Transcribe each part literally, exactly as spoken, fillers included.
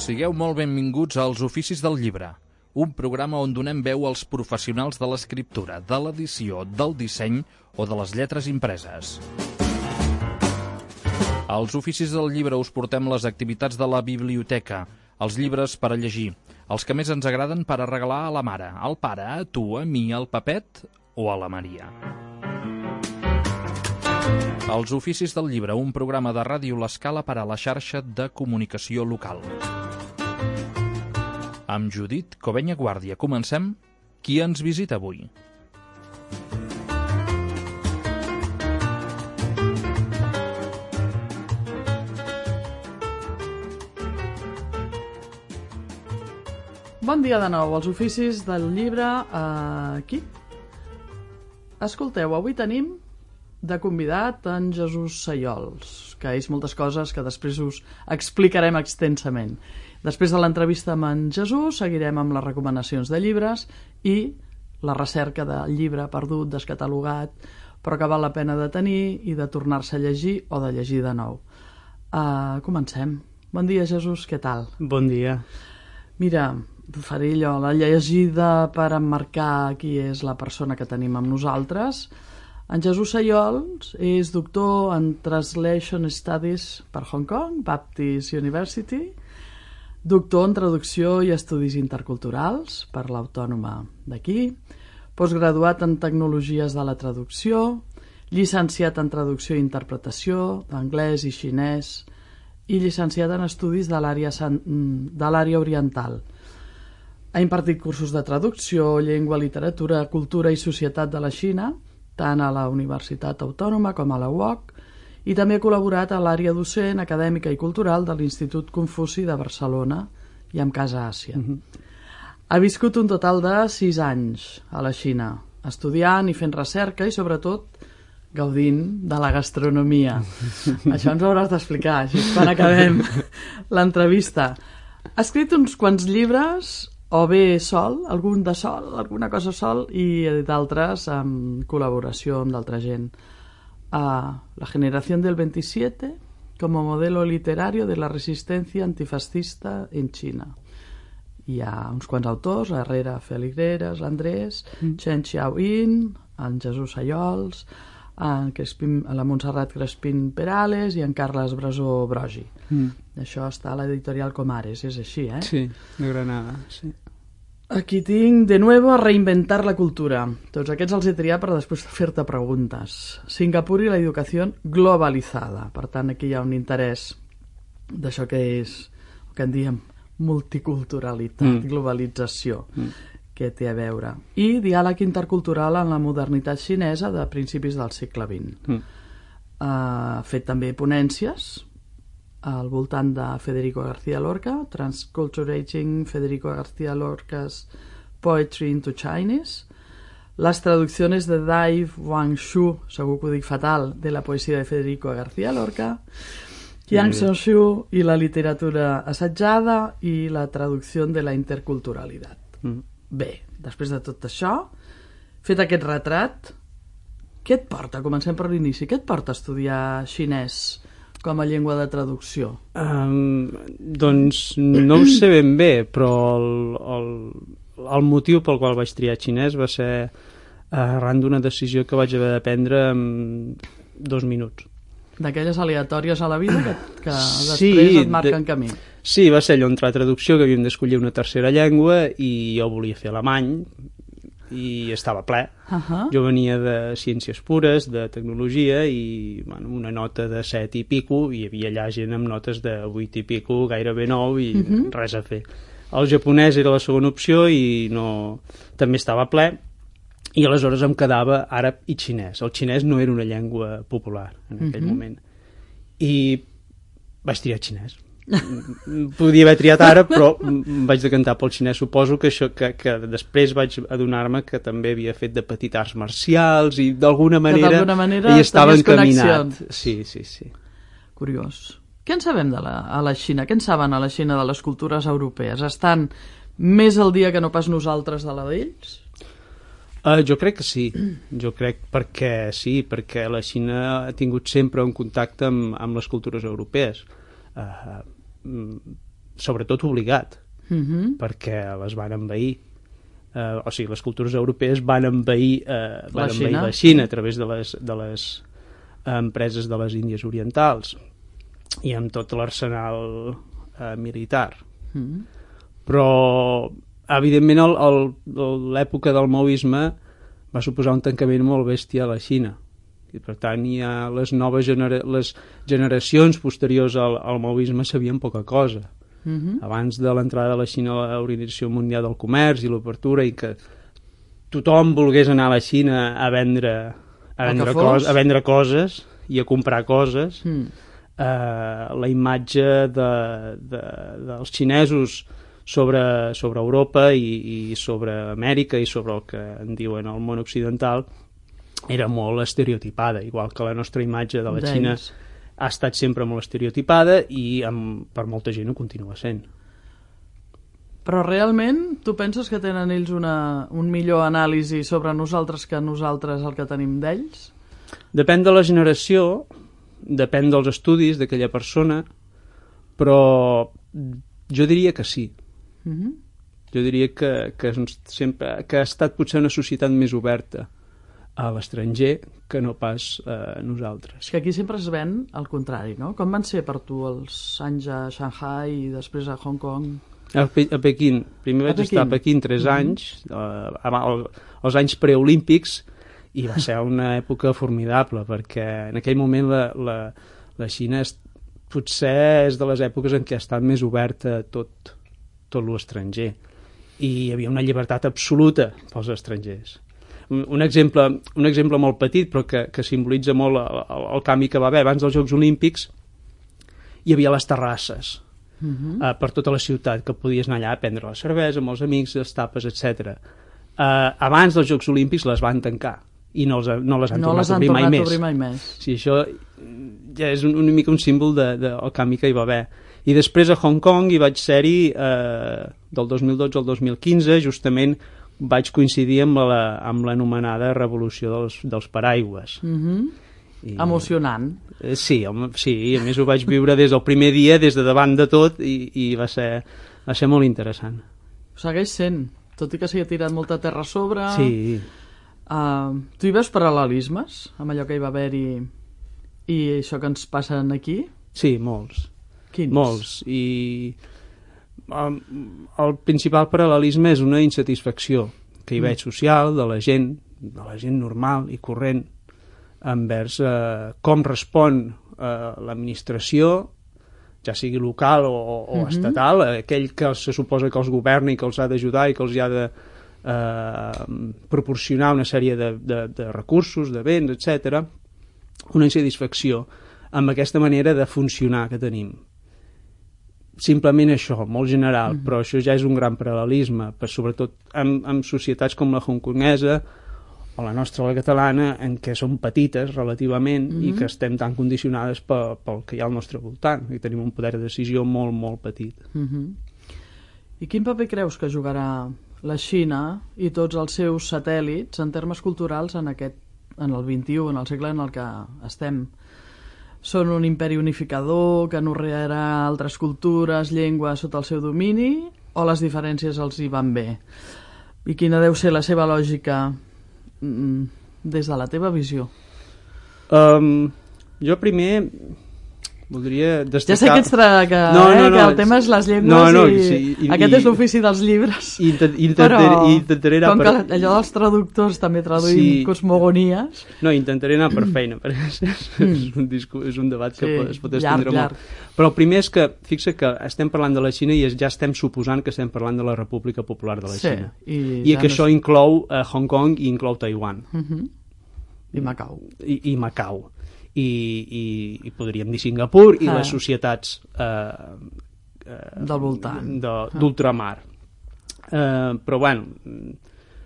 Sigueu molt benvinguts als Oficis del Llibre, un programa on donem veu als professionals de l'escriptura, de l'edició, del disseny o de les lletres impreses. Als Oficis del Llibre us portem les activitats de la biblioteca, els llibres per a llegir, els que més ens agraden per a regalar a la mare, al pare, a tu, a mi, al Pepet o a la Maria. Els Oficis del Llibre, un programa de Ràdio L'Escala per a la xarxa de comunicació local. Amb Judit Covenya Guàrdia comencem. Qui ens visita avui? Bon dia de nou als Oficis del Llibre. Aquí. Escolteu, avui tenim de convidat en Jesús Sayols, que és moltes coses que després us explicarem extensament. Després de l'entrevista amb en Jesús seguirem amb les recomanacions de llibres i la recerca del llibre perdut, descatalogat, però que val la pena de tenir i de tornar-se a llegir o de llegir de nou. Uh, comencem. Bon dia, Jesús, què tal? Bon dia. Mira, faré allò, la llegida per emmarcar qui és la persona que tenim amb nosaltres. En Jesús Sayols és doctor en Translation Studies per Hong Kong, Baptist University, doctor en traducció i estudis interculturals per l'Autònoma d'aquí, postgraduat en tecnologies de la traducció, llicenciat en traducció i interpretació d'anglès i xinès i llicenciat en estudis de l'àrea de l'àrea oriental. Ha impartit cursos de traducció, llengua, literatura, cultura i societat de la Xina, tant a la Universitat Autònoma com a la U O C, i també ha col·laborat a l'àrea docent, acadèmica i cultural de l'Institut Confuci de Barcelona i amb Casa Àsia. Mm-hmm. Ha viscut un total de sis anys a la Xina, estudiant i fent recerca i, sobretot, gaudint de la gastronomia. Això ens ho hauràs d'explicar, així quan acabem l'entrevista. Ha escrit uns quants llibres, o bé sol, algun de sol, alguna cosa sol, i d'altres en col·laboració amb d'altra gent. Uh, la generación del veintisiete como modelo literario de la resistencia antifascista en China. Hi ha uns quants autors, Herrera Feligueres, l'Andrés, mm. Chen Xiaoyin, en Jesús Sayols, en Crespin, la Montserrat Crespin Perales i en Carles Brasó Brogi. Mm. Això està a l'editorial Comares, és així, eh? Sí, de Granada, sí. Aquí tinc, de nuevo, a reinventar la cultura. Tots aquests els he triat per després fer-te preguntes. Singapur i la educació globalitzada. Per tant, aquí hi ha un interès d'això que és, el que en diem multiculturalitat, mm. globalització, mm. que té a veure. I diàleg intercultural en la modernitat xinesa de principis del segle vint. Mm. Ha fet també ponències al voltant de Federico García Lorca, Transculturating Federico García Lorca's Poetry into Chinese, les traduccions de Dai Wangshu, segur que ho dic fatal, de la poesia de Federico García Lorca, Yang Sonshu i la literatura assajada i la traducció de la interculturalitat. Mm. Bé, després de tot això, fet aquest retrat, què et porta? Comencem per l'inici. Què et porta a estudiar xinès com a llengua de traducció? Um, doncs no ho sé ben bé, però el, el, el motiu pel qual vaig triar xinès va ser arran d'una decisió que vaig haver de prendre en dos minuts. D'aquelles aleatòries a la vida que, que després sí, et marquen de, camí. Sí, va ser allò entre la traducció, que havíem d'escollir una tercera llengua i jo volia fer alemany i estava ple. Uh-huh. Jo venia de ciències pures, de tecnologia i bueno, una nota de set i pico, i hi havia allà gent amb notes de vuit i pico, gairebé nou, i uh-huh. res a fer. El japonès era la segona opció i no... també estava ple, i aleshores em quedava àrab i xinès. El xinès no era una llengua popular en aquell uh-huh. moment. I vaig triar xinès. Podia haver triat àrab, però vaig decantar pel xinès. Suposo que, això, que, que després vaig adonar-me que també havia fet de petit arts marcials i d'alguna manera, manera hi estava encaminat. Sí, sí, sí. Curiós. Què en sabem de la, a la Xina? Què en saben a la Xina de les cultures europees? Estan més al dia que no pas nosaltres de la d'ells? Uh, jo crec que sí, jo crec perquè sí, perquè la Xina ha tingut sempre un contacte amb, amb les cultures europees. Uh, sobretot obligat, uh-huh. perquè les van envair. Uh, o sigui, les cultures europees van envair, uh, van la, envair Xina. la Xina a través de les, de les empreses de les Índies Orientals i amb tot l'arsenal uh, militar. Uh-huh. Però, evidentment, el, el, l'època del maoisme va suposar un tancament molt bèstia a la Xina. I, per tant, hi ha les noves genera- les generacions posteriors al, al maoisme sabien poca cosa. Uh-huh. Abans de l'entrada de la Xina a l'Organització Mundial del Comerç i l'obertura, i que tothom volgués anar a la Xina a vendre, a vendre, cos, a vendre coses i a comprar coses, mm. eh, la imatge de, de, dels xinesos sobre, sobre Europa i, i sobre Amèrica i sobre el que en diuen el món occidental era molt estereotipada, igual que la nostra imatge de la D'ells. Xina ha estat sempre molt estereotipada i amb, per molta gent ho continua sent. Però realment tu penses que tenen ells una, un millor anàlisi sobre nosaltres que nosaltres el que tenim d'ells? Depèn de la generació, depèn dels estudis d'aquella persona, però jo diria que sí. Uh-huh. Jo diria que, que, sempre, que ha estat potser una societat més oberta a l'estranger que no pas a nosaltres. És que aquí sempre es ven al contrari, no? Com van ser per tu els anys a Shanghai i després a Hong Kong? A, Pe a Pequín. Primer vaig estar a Pequín tres mm-hmm. anys, eh, als anys preolímpics, i va ser una època formidable, perquè en aquell moment la, la, la Xina és, potser és de les èpoques en què ha estat més oberta a tot, tot l'estranger. I hi havia una llibertat absoluta pels estrangers. Un exemple, un exemple molt petit, però que, que simbolitza molt el, el, el canvi que va haver. Abans dels Jocs Olímpics hi havia les terrasses uh-huh. uh, per tota la ciutat, que podies anar allà a prendre la cervesa amb els amics, les tapes, etcètera. Uh, abans dels Jocs Olímpics les van tancar i no, els, no les han no tornat les a obrir, obrir mai més. més. mai més. Sí, això ja és un, una mica un símbol de, de, del canvi que hi va haver. I després a Hong Kong hi vaig ser-hi uh, del dos mil dotze al dos mil quinze, justament vaig coincidir amb la, amb l'anomenada revolució dels, dels paraigües. Mm-hmm. I, Emocionant. Eh, sí, home, sí, a més ho vaig viure des del primer dia, des de davant de tot, i, i va, ser, va ser molt interessant. Segueix sent, tot i que s'hi ha tirat molta terra a sobre. Sí. Uh, tu hi veus paral·lelismes amb allò que hi va haver-hi i això que ens passa aquí? Sí, molts. Quins? Molts. I um, el principal paral·lelisme és una insatisfacció que hi veig social de la gent, de la gent normal i corrent envers eh, com respon eh, l'administració, ja sigui local o, o uh-huh. estatal, aquell que se suposa que els governa i que els ha d'ajudar i que els ha de eh, proporcionar una sèrie de, de, de recursos, de béns, etcètera. Una insatisfacció amb aquesta manera de funcionar que tenim. Simplement això, molt general, mm. però això ja és un gran paral·lelisme, per, sobretot amb, amb societats com la hongkonesa o la nostra, la catalana, en què som petites relativament mm. i que estem tan condicionades pel, pel que hi ha al nostre voltant, i tenim un poder de decisió molt, molt petit. Mm-hmm. I quin paper creus que jugarà la Xina i tots els seus satèl·lits en termes culturals en, aquest, en el vint-i-u, en el segle en el que estem? Són un imperi unificador que anorrearà altres cultures, llengües sota el seu domini, o les diferències els hi van bé? I quina deu ser la seva lògica mm, des de la teva visió? Um, jo primer voldria destacar... Ja sé que, ets tra... que, no, no, eh, no, que el tema és les llengües no, no, i... sí, i aquest i, és l'ofici dels llibres. I intent, intentaré, però intentaré anar com per... que allò dels traductors també traduïm sí. cosmogonies... No, intentaré anar per feina, perquè és, és, un, discurs, és un debat que sí, es pot estendre llarg, molt. Llarg. Però el primer és que, fixa que estem parlant de la Xina i ja estem suposant que estem parlant de la República Popular de la sí, Xina. I, I ja que no això és... inclou uh, Hong Kong i inclou Taiwan. Uh-huh. I Macau. I, i Macau. I, i, i podríem dir Singapur i ah. les societats eh, eh, del voltant d'ultramar. Eh, però bueno,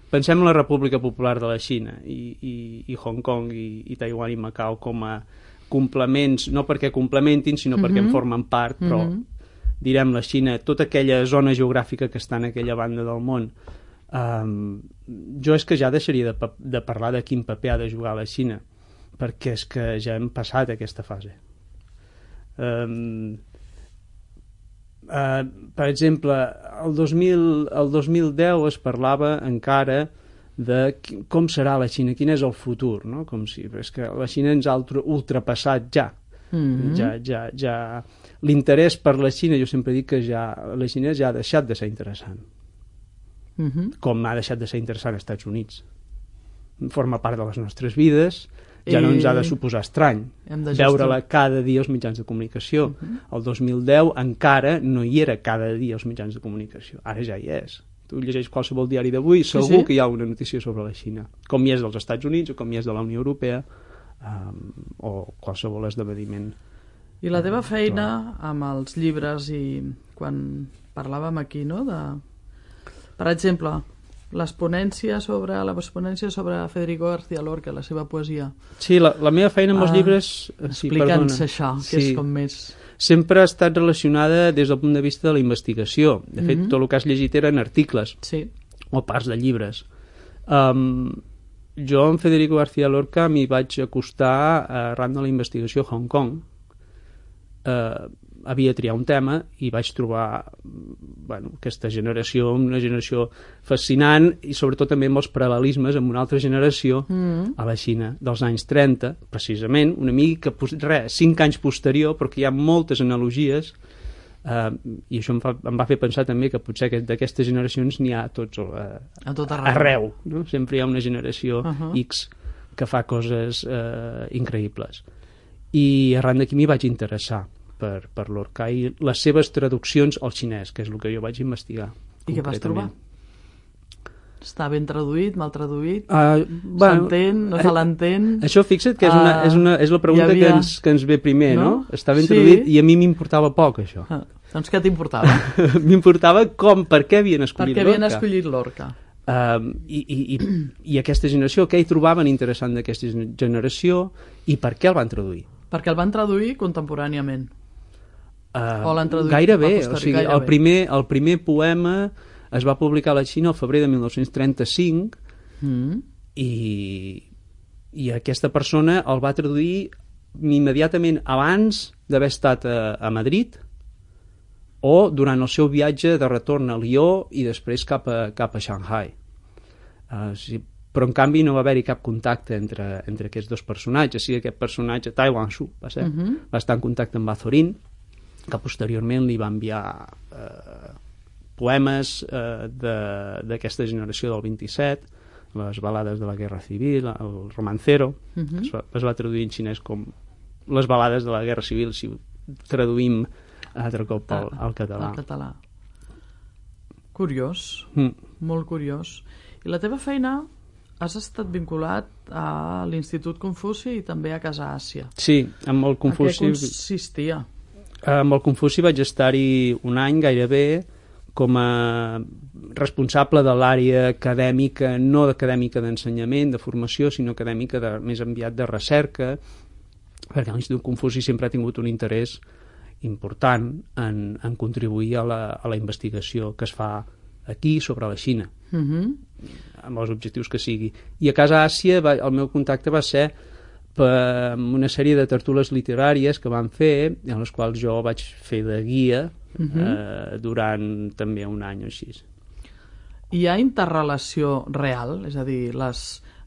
pensem en la República Popular de la Xina i, i, i Hong Kong i, i Taiwan i Macau com a complements, no perquè complementin sinó uh-huh. perquè en formen part, però uh-huh. direm la Xina, tota aquella zona geogràfica que està en aquella banda del món, eh, jo és que ja deixaria de, de parlar de quin paper ha de jugar la Xina, perquè és que ja hem passat aquesta fase. Um, Uh, per exemple, el dos mil, el dos mil deu es parlava encara de com serà la Xina, quin és el futur, no? Com si, és que la Xina ens ha ultrapassat ja. Mm-hmm. ja, ja, ja. L'interès per la Xina, jo sempre dic que ja, la Xina ja ha deixat de ser interessant. Mm-hmm. Com ha deixat de ser interessant als Estats Units. Forma part de les nostres vides, ja no ens ha de suposar estrany veure-la cada dia als mitjans de comunicació. Uh-huh. El dos mil deu encara no hi era cada dia als mitjans de comunicació, ara ja hi és. Tu llegeix qualsevol diari d'avui, segur sí, sí. que hi ha una notícia sobre la Xina, com hi és dels Estats Units o com hi és de la Unió Europea, um, o qualsevol esdeveniment. I la teva feina amb els llibres, i quan parlàvem aquí, no? De... per exemple, les ponències sobre, la ponència sobre Federico García Lorca, la seva poesia. Sí, la, la meva feina amb els uh, llibres... Explica'ns sí, això, que sí. és com més... Sempre ha estat relacionada des del punt de vista de la investigació. De fet, mm-hmm. tot el que has llegit eren articles sí. o parts de llibres. Um, jo amb Federico García Lorca m'hi vaig acostar arran de la investigació a Hong Kong. Uh, havia triat un tema i vaig trobar bueno, aquesta generació, una generació fascinant, i sobretot també amb els paral·lelismes amb una altra generació mm. a la Xina dels anys trenta, precisament, una mica, res, cinc anys posterior, però que hi ha moltes analogies, eh, i això em, fa, em va fer pensar també que potser d'aquestes generacions n'hi ha a tots eh, a tot arreu, arreu no? Sempre hi ha una generació uh -huh. X que fa coses eh, increïbles. I arran d'aquí m'hi vaig interessar per, per Lorca i les seves traduccions al xinès, que és el que jo vaig investigar. I què vas trobar? Està ben traduït, mal traduït? Uh, bueno, S'entén, no se l'entén? Això, fixa't, que és, una, és, una, és la pregunta havia... que, ens, que ens ve primer, no? no? Està ben sí. traduït i a mi m'importava poc, això. Ah, doncs què t'importava? M'importava com, per què havien escollit Lorca. Per què havien Lorca. escollit Lorca? Uh, i, i, i, I aquesta generació, què hi trobaven interessant d'aquesta generació i per què el van traduir? Perquè el van traduir contemporàniament. Uh, o l'han traduït gairebé, o sigui, gairebé. El, primer, el primer poema es va publicar a la Xina el febrer de mil nou-cents trenta-cinc mm. i, i aquesta persona el va traduir immediatament abans d'haver estat a, a Madrid o durant el seu viatge de retorn a Lió i després cap a, cap a Shanghai. Uh, sí, però en canvi no va haver-hi cap contacte entre, entre aquests dos personatges. Sí, aquest personatge, Tai Wanshu, va, ser, uh-huh. va estar en contacte amb Azorín, que posteriorment li va enviar eh, poemes eh, d'aquesta generació del vint-i-set, les balades de la Guerra Civil, el romancero, uh-huh. es, va, es va traduir en xinès com les balades de la Guerra Civil, si ho traduïm altre cop al, al català. Al català. Curiós, mm. molt curiós. I la teva feina has estat vinculat a l'Institut Confuci i també a Casa Àsia. Sí, amb el Confuci... A què consistia? Amb el Confuci vaig estar-hi un any gairebé com a responsable de l'àrea acadèmica, no acadèmica d'ensenyament, de formació, sinó acadèmica de, més enviat de recerca, perquè l'Institut Confuci sempre ha tingut un interès important en, en contribuir a la, a la investigació que es fa aquí sobre la Xina, uh-huh. amb els objectius que sigui. I a Casa Àsia va, el meu contacte va ser per una sèrie de tertúlies literàries que van fer, en les quals jo vaig fer de guia uh-huh. eh, durant també un any o així. Hi ha interrelació real? És a dir, les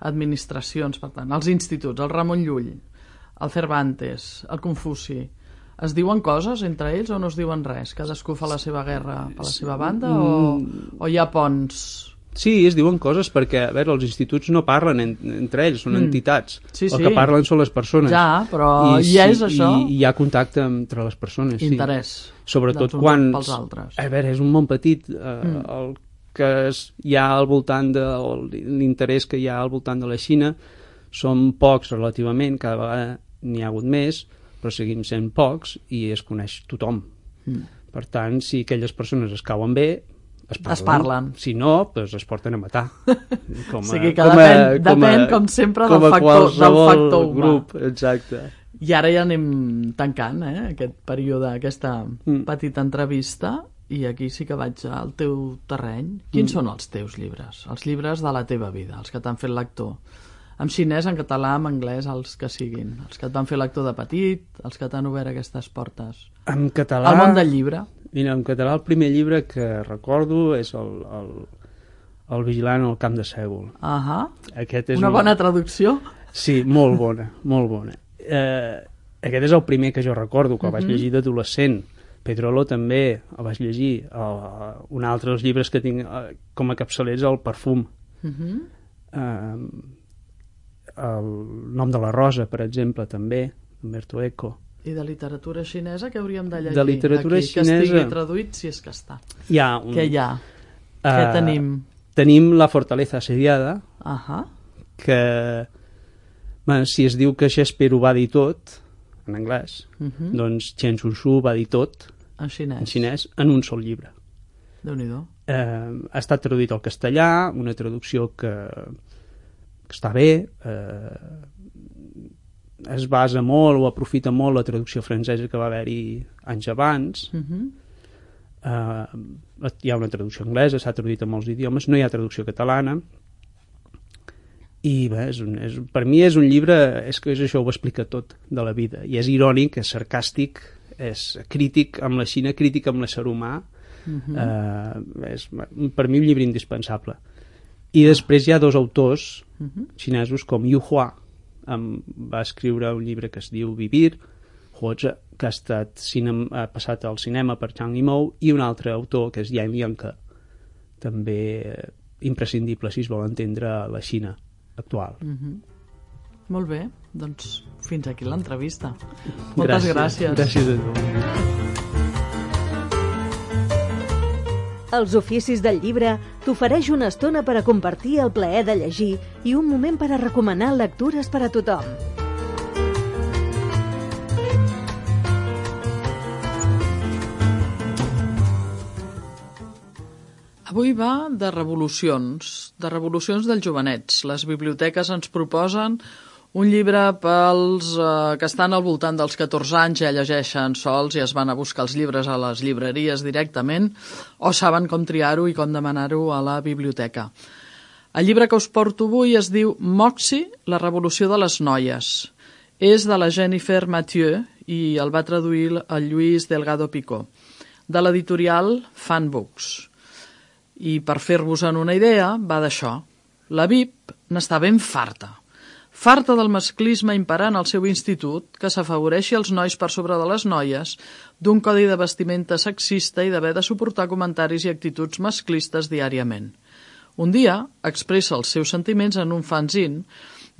administracions, per tant, els instituts, el Ramon Llull, el Cervantes, el Confuci, es diuen coses entre ells o no es diuen res? Cadascú fa la seva guerra per la seva banda o, o hi ha ponts? Sí, es diuen coses perquè, a veure, els instituts no parlen en, entre ells, són mm. entitats. Sí, sí. El que parlen són les persones. Ja, però I, hi és sí, això? I hi ha contacte entre les persones, Interès. Sí. Sobretot quan... pels altres. A veure, és un món petit, eh, mm. el que es, hi ha al voltant de... l'interès que hi ha al voltant de la Xina són pocs relativament, cada vegada n'hi ha hagut més, però seguim sent pocs i es coneix tothom. Mm. Per tant, si aquelles persones es cauen bé, es parlen. Es parlen. Si no, doncs es porten a matar. Com a, o sigui que com depèn, a, com depèn a, com sempre com del factor, del factor humà. Grup, exacte. I ara ja anem tancant eh, aquest període, aquesta mm. petita entrevista, i aquí sí que vaig al teu terreny. Quins mm. són els teus llibres? Els llibres de la teva vida, els que t'han fet lector. En xinès, en català, en anglès, els que siguin. Els que et van fer lector de petit, els que t'han obert aquestes portes. En català... El món del llibre. Mira, en català el primer llibre que recordo és el, el, el Vigilant al camp de Sègol. Ahà. Aquest és una un... bona traducció. Sí, molt bona, molt bona. Eh, aquest és el primer que jo recordo, que el vaig uh-huh. llegir d'adolescent. Pedrolo també el vaig llegir. El, un altre dels llibres que tinc eh, com a capçaler és el Perfum. Uh-huh. Eh, el Nom de la Rosa, per exemple, també, Umberto Eco. I de literatura xinesa que hauríem de llegir? De literatura aquí, xinesa... Que estigui traduït, si és que està. Hi ha un... Què hi ha? Uh, Què tenim? Tenim La fortaleza asediada, uh-huh. que bueno, si es diu que Shakespeare ho va dir tot, en anglès, uh-huh. doncs Chen Sun-Su va dir tot, en xinès. en xinès, en un sol llibre. Déu-n'hi-do. Eh, ha estat traduït al castellà, una traducció que, que està bé, eh, es basa molt o aprofita molt la traducció francesa que va haver-hi anys abans. Uh-huh. eh, hi ha una traducció anglesa, s'ha traduït a molts idiomes, no hi ha traducció catalana, i bé, és un, és, per mi és un llibre, és que és això, ho explica tot de la vida, i és irònic, és sarcàstic, és crític amb la Xina, crític amb l'ésser humà. Uh-huh. eh, és per mi un llibre indispensable. I després hi ha dos autors uh-huh. xinesos com Yu Hua, Um, va escriure un llibre que es diu Vivir, que ha, estat cinem, ha passat al cinema per Zhang Yimou, i un altre autor que és Yan Lianke, també eh, imprescindible si es vol entendre la Xina actual. Mm-hmm. Molt bé, doncs fins aquí l'entrevista. Moltes gràcies. Gràcies a tu. Els oficis del llibre t'ofereix una estona per a compartir el plaer de llegir i un moment per a recomanar lectures per a tothom. Avui va de revolucions, de revolucions dels jovenets. Les biblioteques ens proposen un llibre pels eh, que estan al voltant dels catorze anys, ja llegeixen sols i es van a buscar els llibres a les llibreries directament o saben com triar-ho i com demanar-ho a la biblioteca. El llibre que us porto avui es diu Moxie, la revolució de les noies. És de la Jennifer Mathieu i el va traduir el Lluís Delgado Picó, de l'editorial Fan Books. I per fer-vos-en una idea, va d'això. La V I P n'està ben farta. Farta del masclisme imperant al seu institut, que s'afavoreixi els nois per sobre de les noies, d'un codi de vestimenta sexista i d'haver de suportar comentaris i actituds masclistes diàriament. Un dia expressa els seus sentiments en un fanzine,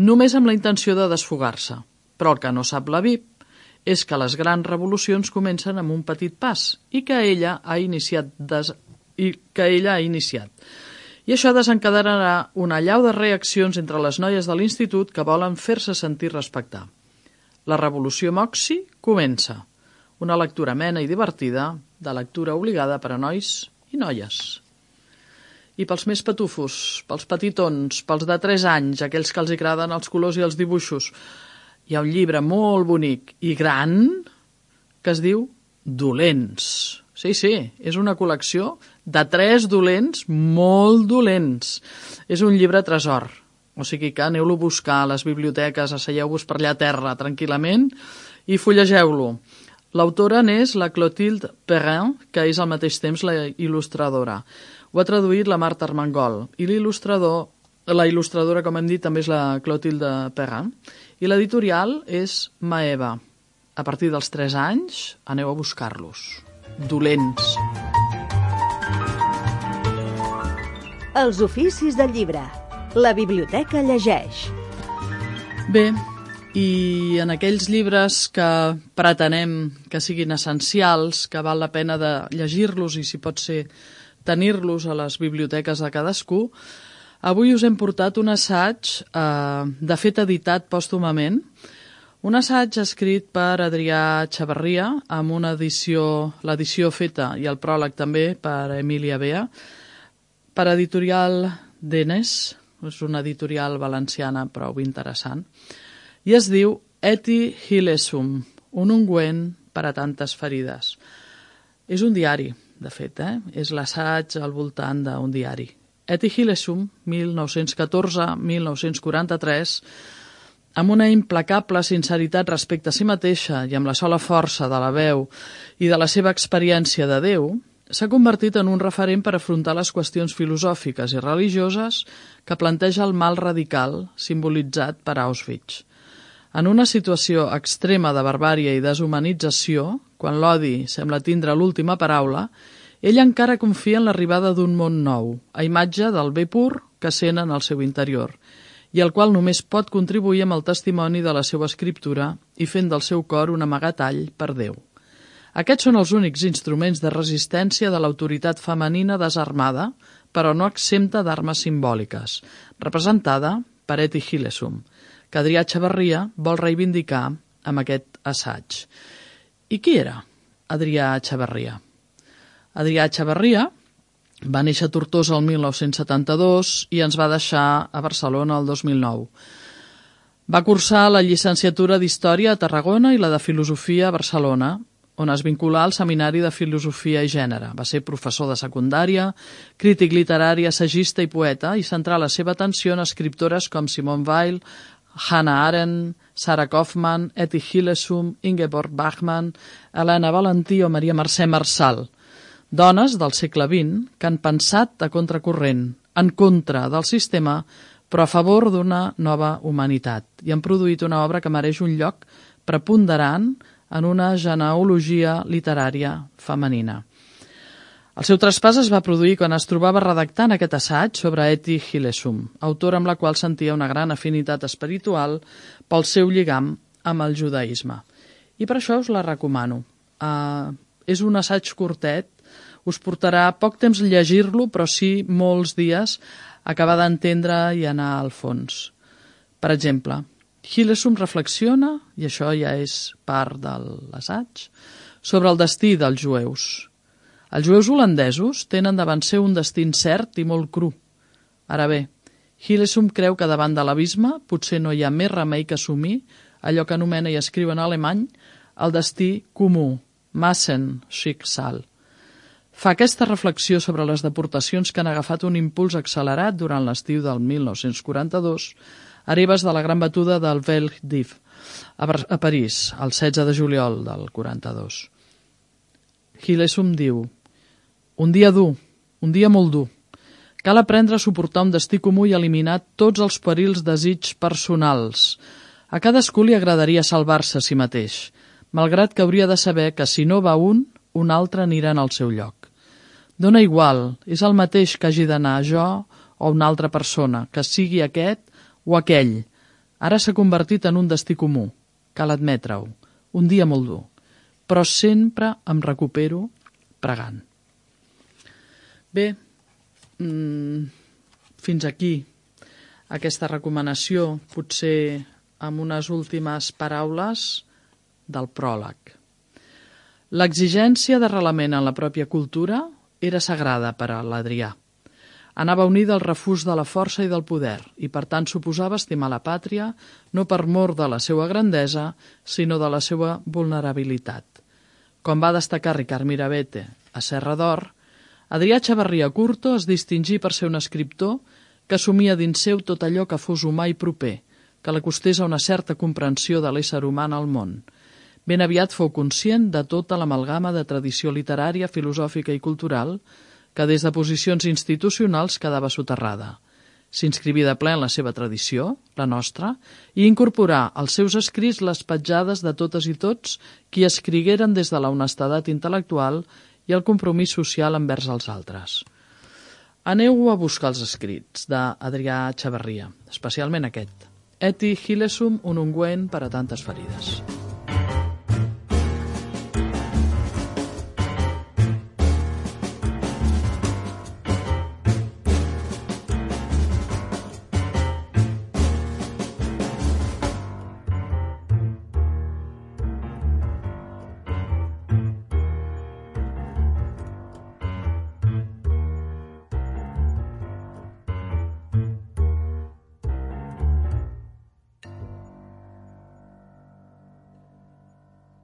només amb la intenció de desfogar-se. Però el que no sap la V I P és que les grans revolucions comencen amb un petit pas i que ella ha iniciat des... i que ella ha iniciat. I això desencadenarà una allau de reaccions entre les noies de l'institut que volen fer-se sentir respectar. La revolució Moxie comença. Una lectura amena i divertida, de lectura obligada per a nois i noies. I pels més patufos, pels petitons, pels de tres anys, aquells que els agraden els colors i els dibuixos, hi ha un llibre molt bonic i gran que es diu Dolents. Sí, sí, és una col·lecció de tres dolents molt dolents. És un llibre tresor. O sigui que aneu-lo a buscar a les biblioteques, asseieu-vos per allà a terra tranquil·lament i fullegeu-lo. L'autora n'és la Clotilde Perrin, que és al mateix temps la il·lustradora. Ho ha traduït la Marta Armengol. I l'il·lustrador, la il·lustradora, com hem dit, també és la Clotilde Perrin. I l'editorial és Maeva. A partir dels tres anys, aneu a buscar-los. Dolents. Els oficis del llibre. La biblioteca llegeix. Bé, i en aquells llibres que pretenem que siguin essencials, que val la pena de llegir-los i, si pot ser, tenir-los a les biblioteques de cadascú, avui us hem portat un assaig, eh, de fet editat pòstumament, un assaig escrit per Adrià Xavarria, amb una edició, l'edició feta i el pròleg també per Emília Bea, per editorial Denes, és una editorial valenciana prou interessant, i es diu Eti Hilesum, un ungüent per a tantes ferides. És un diari, de fet, eh? És l'assaig al voltant d'un diari. Eti Hilesum, mil nou-cents catorze a mil nou-cents quaranta-tres, amb una implacable sinceritat respecte a si mateixa i amb la sola força de la veu i de la seva experiència de Déu, s'ha convertit en un referent per afrontar les qüestions filosòfiques i religioses que planteja el mal radical simbolitzat per Auschwitz. En una situació extrema de barbàrie i deshumanització, quan l'odi sembla tindre l'última paraula, ell encara confia en l'arribada d'un món nou, a imatge del bé pur que sent en el seu interior, i el qual només pot contribuir amb el testimoni de la seva escriptura i fent del seu cor un amagatall per Déu. Aquests són els únics instruments de resistència de l'autoritat femenina desarmada, però no exempta d'armes simbòliques, representada per Etty Hillesum, que Adrià Echevarria vol reivindicar amb aquest assaig. I qui era Adrià Echevarria? Adrià Echevarria va néixer a Tortosa el mil nou-cents setanta-dos i ens va deixar a Barcelona el dos mil nou. Va cursar la llicenciatura d'Història a Tarragona i la de Filosofia a Barcelona, on es vinculà al Seminari de Filosofia i Gènere. Va ser professor de secundària, crític literari, assagista i poeta, i centrà la seva atenció en escriptores com Simone Weil, Hannah Arendt, Sarah Kaufman, Etty Hillesum, Ingeborg Bachmann, Helena Valentí o Maria Mercè Marçal, dones del segle vint que han pensat a contracorrent, en contra del sistema, però a favor d'una nova humanitat, i han produït una obra que mereix un lloc preponderant en una genealogia literària femenina. El seu traspàs es va produir quan es trobava redactant aquest assaig sobre Etty Hillesum, autora amb la qual sentia una gran afinitat espiritual pel seu lligam amb el judaïsme. I per això us la recomano. Uh, és un assaig curtet, us portarà poc temps llegir-lo, però sí molts dies acabar d'entendre i anar al fons. Per exemple, Hillesum reflexiona, i això ja és part de l'assaig, sobre el destí dels jueus. Els jueus holandesos tenen davant seu un destí incert i molt cru. Ara bé, Hillesum creu que davant de l'abisme potser no hi ha més remei que assumir allò que anomena i escriu en alemany el destí comú, Massenschicksal. Fa aquesta reflexió sobre les deportacions que han agafat un impuls accelerat durant l'estiu del mil nou-cents quaranta-dos, hereves de la gran batuda del Veldiv a París, el setze de juliol del quaranta-dos. Hillesum diu: un dia dur, un dia molt dur. Cal aprendre a suportar un destí comú i eliminar tots els perils desigs personals. A cadascú li agradaria salvar-se a si mateix, malgrat que hauria de saber que si no va un, un altre anirà en el seu lloc. Dóna igual, és el mateix que hagi d'anar jo o una altra persona, que sigui aquest o aquell. Ara s'ha convertit en un destí comú, cal admetre-ho, un dia molt dur, però sempre em recupero pregant. Bé, mmm, fins aquí aquesta recomanació, potser amb unes últimes paraules del pròleg. L'exigència d'arrelament en la pròpia cultura era sagrada per a l'Adrià. Anava unida al refús de la força i del poder i, per tant, suposava estimar la pàtria no per mor de la seva grandesa, sinó de la seva vulnerabilitat. Com va destacar Ricard Mirabete a Serra d'Or, Adrià Echevarria Curto es distingí per ser un escriptor que assumia dins seu tot allò que fos humà i proper, que l'acostés a una certa comprensió de l'ésser humà en el món. Ben aviat fou conscient de tota l'amalgama de tradició literària, filosòfica i cultural que des de posicions institucionals quedava soterrada. S'inscriví de ple en la seva tradició, la nostra, i incorporà als seus escrits les petjades de totes i tots qui escrigueren des de la honestedat intel·lectual i el compromís social envers els altres. Aneu a buscar els escrits d'Adrià Echevarria, especialment aquest. Etty Hillesum, un ungüent per a tantes ferides.